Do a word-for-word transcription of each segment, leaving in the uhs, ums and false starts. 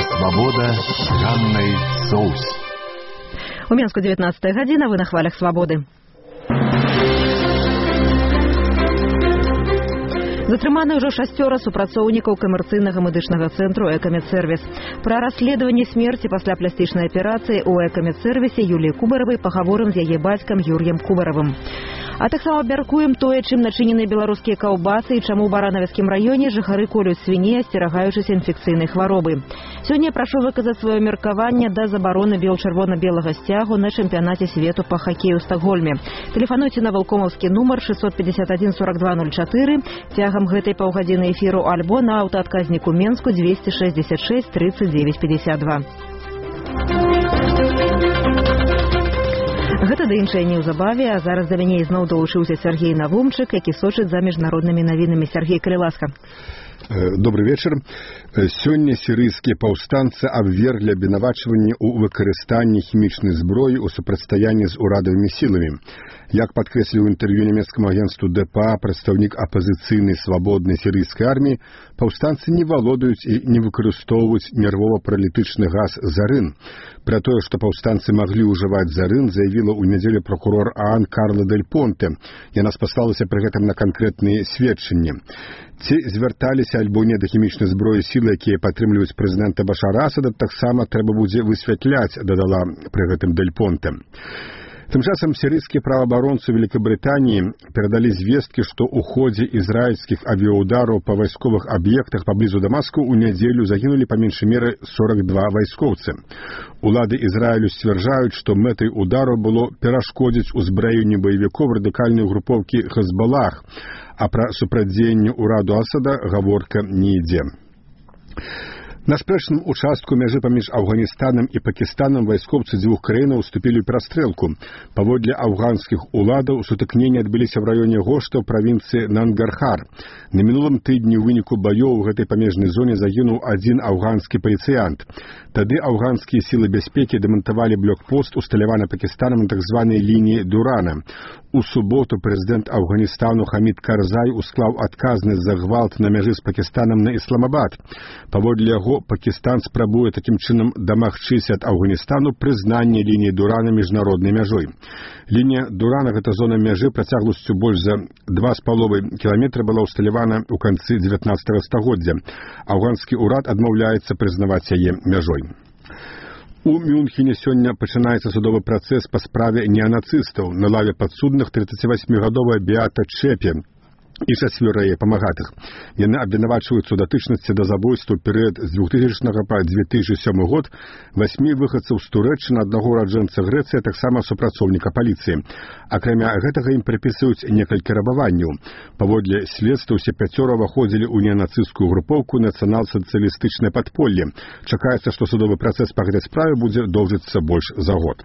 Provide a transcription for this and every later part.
Свабода з Ганнай Соус. У Мінску дзевятнадцатая гадзіна, вы на хвалях Свабоды. Затрыманы ўжо шасцёра супрацоўнікаў камерцыйнага медычнага цэнтру «Экамедсервіс». Пра расследаванне смерці пасля пластычнай аперацыі ў «Экамедсервісе» Юліі Кубаравай пагаворым з яе бацькам Юр'ем Кубаравым. А таксама абмяркуем тое, чым начынены беларускія каўбасы і чаму ў Баранавіцкім раёне жыхары колюць свіней, асцерагаючыся інфекцыйнай хваробы. Сёння прашу выказаць сваё меркаванне да забароны бел-чырвона-белага сцягу на чэмпіянаце свету па хакею ў Стакгольме. Тэлефануйце на валкомаўскі нумар шэсцьсот пятьдесят один сорок два ноль чатыры цягам гэтай паўгадзіны эфіру альбо на аўтаадказніку Менску двести шестьдесят шесть тридцать девять пятьдесят два. Гэта да іншае неўзабаве, а зараз да мяне ізноў далучыўся Сергей Навумчык, які сочыць за міжнароднымі навінамі. Сергей, калі ласка. Добрый вечер. Сёння сірыйскія паўстанцы абверглі абвінавачванні ў выкарыстанні хімічнай зброі ў супрацьстаянні з урадавымі сіламі. Як падкрэсліў у інтэрв'ю нямецкаму агенцтву дэ пэ а прадстаўнік апазіцыйнай свабоднай сірыйскай арміі, паўстанцы не валодаюць і не выкарыстоўваюць нервова-паралітычны газ «Зарын». Пра тое, што паўстанцы маглі ўжываць «Зарын», заявіла ў нядзелю прокурор ААН Карла Дель Понте. Яна спаслалася пры гэтым на канкрэтныя сведчанні. Ці звярталіся альбо не да хімічнай зброі сілы, якія падтрымліваюць прэзідэнта Башара Асада, таксама трэба будзе высвятляць, дадала пры гэтым Дель Понте. Тым часам сірыйскія праваабаронцы Великабрытаніі перадалі звесткі, што ў ходзе ізраільскіх авіяудараў па вайсковых аб'ектах паблізу Дамаску ў нядзелю загінулі па меншай меры сорок два вайскоўцы. Улады Ізраілю сцвярджаюць, што мэтай удару было перашкодзіць узбраенню баевікоў радыкальнай групоўкі Хезбалах, а пра супрацьдзеянне ўраду Асада гаворка не ідзе. На спрэчным участку мяжы паміж Афганістанам і Пакістанам вайскоўцы дзвюх краінаў уступілі ў перастрэлку. Паводле афганскіх уладаў сутыкненні адбыліся ў раёне Гошта ў правінцыі Нангархар. На мінулым тыдні ў выніку баёў у гэтай памежнай зоне загінуў адзін афганскі паліцыянт. Тады афганскія сілы бяспекі дэмантавалі блокпост, усталяваны Пакістанам на так званай лініі Дурана. У суботу прэзідэнт Афганістану Хамід Карзай усклаў адказнасць за гвалт на мяжы з Пакістанам на Ісламабад. Паводле яго, Пакістан спрабуе такім чынам дамагчыся ад Афганістану прызнання лініі Дурана міжнароднай мяжой. Лінія Дурана, гэта зона мяжы працягласцю больш за два з паловай кіламетра, была ўсталявана ў канцы дзевятнаццатага стагоддзя. Афганскі ўрад адмаўляецца прызнаваць яе мяжой. У Мюнхене сёння пачынаецца судовы працэс па справе неанацыстаў. На лаве падсудных трыццацівасьмігадовая Беата Чэпе і чацвёра яе памагатых. Яны абвінавачваюцца ў датычнасці да забойства ў перыяд з двухтысячнага па дзве тысячы сёмы год васьмі выхадцаў з Турэччыны, аднаго ураджэнца Грэцыі, таксама супрацоўніка паліцыі. Акрамя гэтага ім прыпісваюць некалькі рабаванняў. Паводле следства ўсе пяцёра ўваходзілі ў неанацысцкую групоўку нацыянал-сацыялістычнае падполле. Чакаецца, што судовы працэс па гэтай справе будзе доўжыцца больш за год.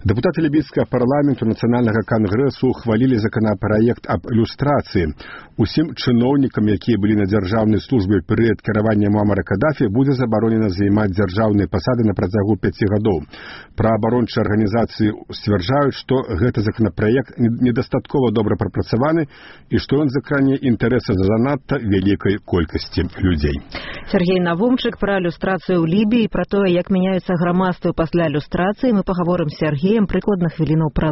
Дэпутаты лібійскага парламенту нацыянальнага кангрэсу ухвалілі законапраект аб люстрацыі. Усім чыноўнікам, якія былі на дзяржаўнай службе ў перыяд кіравання Муамара Кадафі, будзе забаронена займаць дзяржаўныя пасады на працягу пяці гадоў. Праваабарончыя арганізацыі сцвярджаюць, што гэты законапраект недастаткова добра прапрацаваны і што ён закране інтарэсы занадта вялікай колькасці людзей. Сергей Навумчык пра люстрацыю ў Лібіі, пра тое, як мяняюцца грамадствы пасля люстрацыі, мы пагаворым з Сергеем прыкладна хвілінаў праз